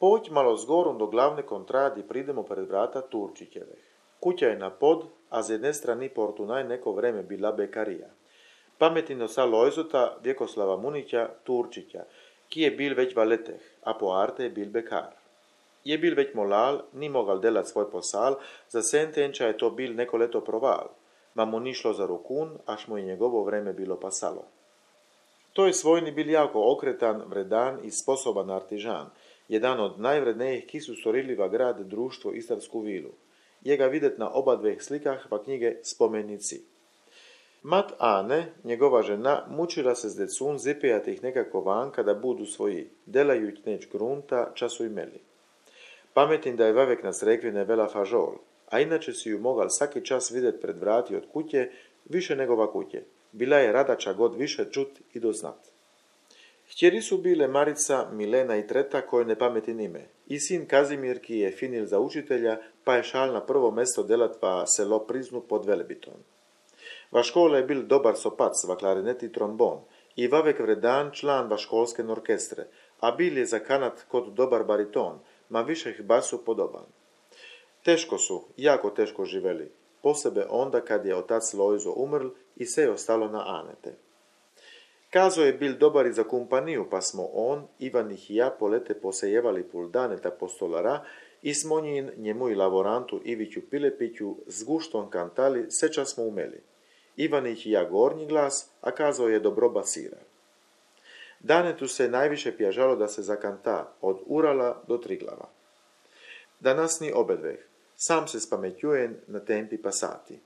Poď malo zgorom do glavne kontrady pridemo pred vrata Turčićevih. Kuća je na pod, a z jedne strani Portunaj neko vreme bila bekarija. Pametino sa Lojzota Vjekoslava Munića Turčića, ki je bil već valeteh, a po arte je bil bekar. Je bil već molal, ni mogal delat svoj posal, za sentenča je to bil neko leto proval, ma mu ni šlo za rukun, až mu je njegovo vreme bilo pasalo. To je svojni bil jako okretan, vredan i sposoban artižan, jedan od najvrednejih ki su stvorili va grad društvo Istarsku vilu. Je ga videt na oba dveh slikah va knjige Spomenici. Mat Ane, njegova žena, mučila se s decun zipijati ih nekako van kada budu svoji, delajuć neć grunta, času imeli. Pametim da je vavek na srekvine vela fažol, a inače si ju mogal svaki čas videt pred vrati od kuće, više nego va kuće. Bila je radača god više čut i doznat. Htjeri su bile Marica, Milena i Treta, koje ne pametin ime, i sin Kazimir, ki je finil za učitelja, pa je šal na prvo mesto delat va selo Priznu pod Velebitom. Va škola je bil dobar sopac, va klarinet i trombon, i vavek vredan član va školske orkestre, a bil je za kanat kod dobar bariton, ma višeh basu podoban. Teško su, jako teško živeli, posebe onda kad je otac Lojzo umrl i sve je ostalo na Anete. Kazo je bil dobar i za kumpaniju, pa smo on, Ivan i ja polete posejevali pul daneta postolara i smo njemu i lavorantu Iviću Pilepiću s guštom kantali, seča smo umeli. Ivan i ja gornji glas, a Kazo je dobro basira. Danetu se najviše pjažalo da se zakanta, od Urala do Triglava. Danas ni obedveh, sam se spametjujen na tempi pasati.